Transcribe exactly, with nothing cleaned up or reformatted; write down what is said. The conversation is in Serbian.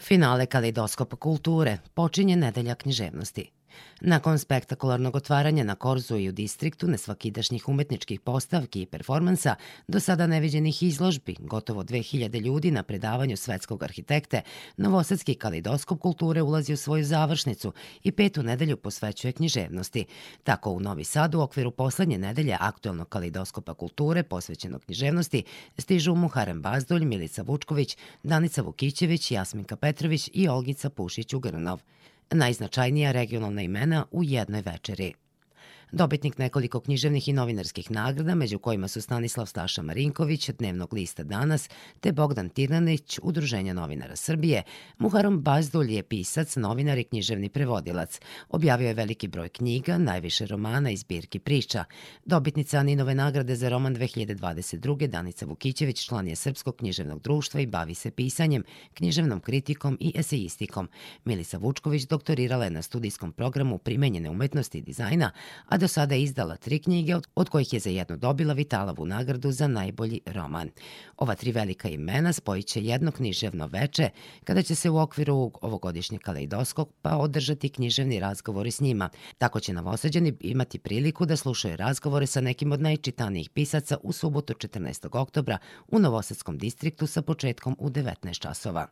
Finale Kaleidoskop kulture počinje nedelja književnosti. Nakon spektakularnog otvaranja na Korzu i u Distriktu nesvakidašnjih umetničkih postavki i performansa, do sada neviđenih izložbi, gotovo dve hiljade ljudi na predavanju svetskog arhitekte, Novosadski Kaleidoskop kulture ulazi u svoju završnicu i petu nedelju posvećuje književnosti. Tako u Novi Sad u okviru poslednje nedelje aktuelnog Kaleidoskopa kulture posvećenog književnosti stižu Muharem Bazdulj, Milica Vučković, Danica Vukićević, Jasminka Petrović i Olgica Pušić-Ugrnov. Najznačajnija regionalna imena u jednoj večeri. Dobitnik nekoliko književnih i novinarskih nagrada, među kojima su Stanislav Staša Marinković, Dnevnog lista Danas, te Bogdan Tirnanić, Udruženja novinara Srbije, Muharem Bazdulj je pisac, novinar i književni prevodilac. Objavio je veliki broj knjiga, najviše romana i zbirki priča. Dobitnica Aninove nagrade za roman dve hiljade dvadeset druge. Danica Vukićević član je Srpskog književnog društva i bavi se pisanjem, književnom kritikom i esejistikom. Milica Vučković doktorirala je na studijskom programu primenjene umetnosti i dizajna, a do sada je izdala tri knjige, od kojih je za jednu dobila Vitalovu nagradu za najbolji roman. Ova tri velika imena spojit će jedno književno veče, kada će se u okviru ovogodišnjeg Kaleidoskopa održati književni razgovori s njima. Tako će Novosađani imati priliku da slušaju razgovore sa nekim od najčitanijih pisaca u subotu četrnaestog oktobra u Novosadskom Distriktu sa početkom u devetnaest časova.